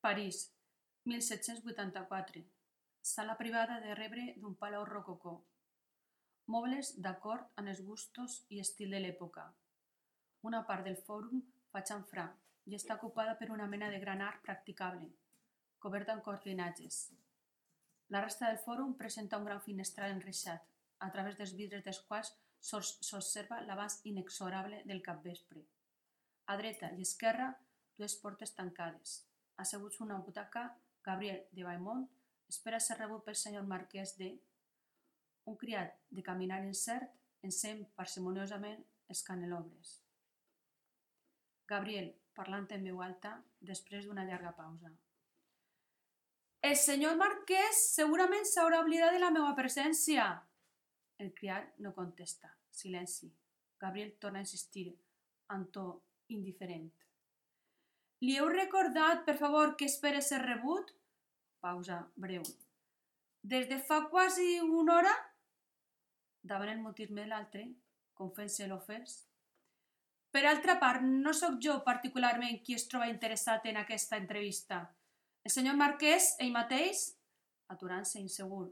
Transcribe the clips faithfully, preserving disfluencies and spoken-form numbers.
París, mil set-cents vuitanta-quatre. Sala privada de rebre d'un palau rococó. Mobles d'acord amb els gustos i estil de l'època. Una part del fòrum fa xamfrà i està ocupada per una mena de gran arc practicable, coberta amb cortinatges. La resta del fòrum presenta un gran finestral enreixat, a través dels vidres dels quals s'observa l'abast inexorable del capvespre. A dreta i esquerra, dues portes tancades. Asseguts en una butaca, Gabriel de Beaumont espera ser rebut pel senyor marquès de... Un criat de caminar incert encén parsimoniosament els canelobres. Gabriel, parlant en veu alta, després d'una llarga pausa. El senyor marquès segurament s'haurà oblidat de la meva presència. El criat no contesta. Silenci. Gabriel torna a insistir, amb to indiferent. Li heu recordat, per favor, que espere ser rebut? Pausa breu. Des de fa quasi una hora? Davant el mutisme de l'altre, com fent-se l'ofès. Per altra part, no sóc jo particularment qui es troba interessat en aquesta entrevista. El senyor marquès, ell mateix, aturant-se insegur,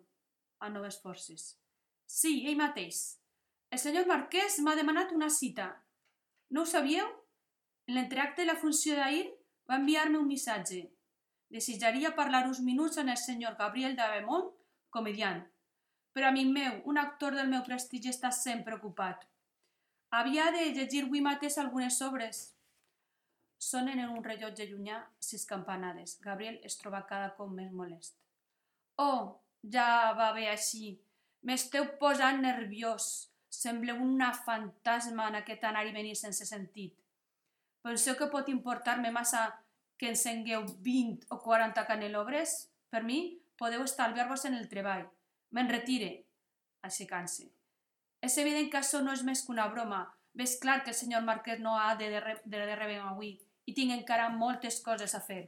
a noves forces. Sí, ell mateix. El senyor marquès m'ha demanat una cita. No ho sabíeu? En l'entreacte de la funció d'ahir va enviar-me un missatge. Desitjaria parlar uns minuts amb el senyor Gabriel de Beaumont, comediant. Però, amic meu, un actor del meu prestigi està sempre ocupat. Havia de llegir avui mateix algunes obres. Sonen en un rellotge llunyà sis campanades. Gabriel es troba cada cop més molest. Oh, ja va bé així. M'esteu posant nerviós. Sembleu una fantasma en aquest anar i venir sense sentit. Penseu que pot importar-me massa que encengueu vint o quaranta canelobres? Per mi, podeu estalviar-vos en el treball. Me'n retire, aixecant-se. És evident que això no és més que una broma. Ves clar que el senyor marquès no ha de, de, de rebent avui i tinc encara moltes coses a fer.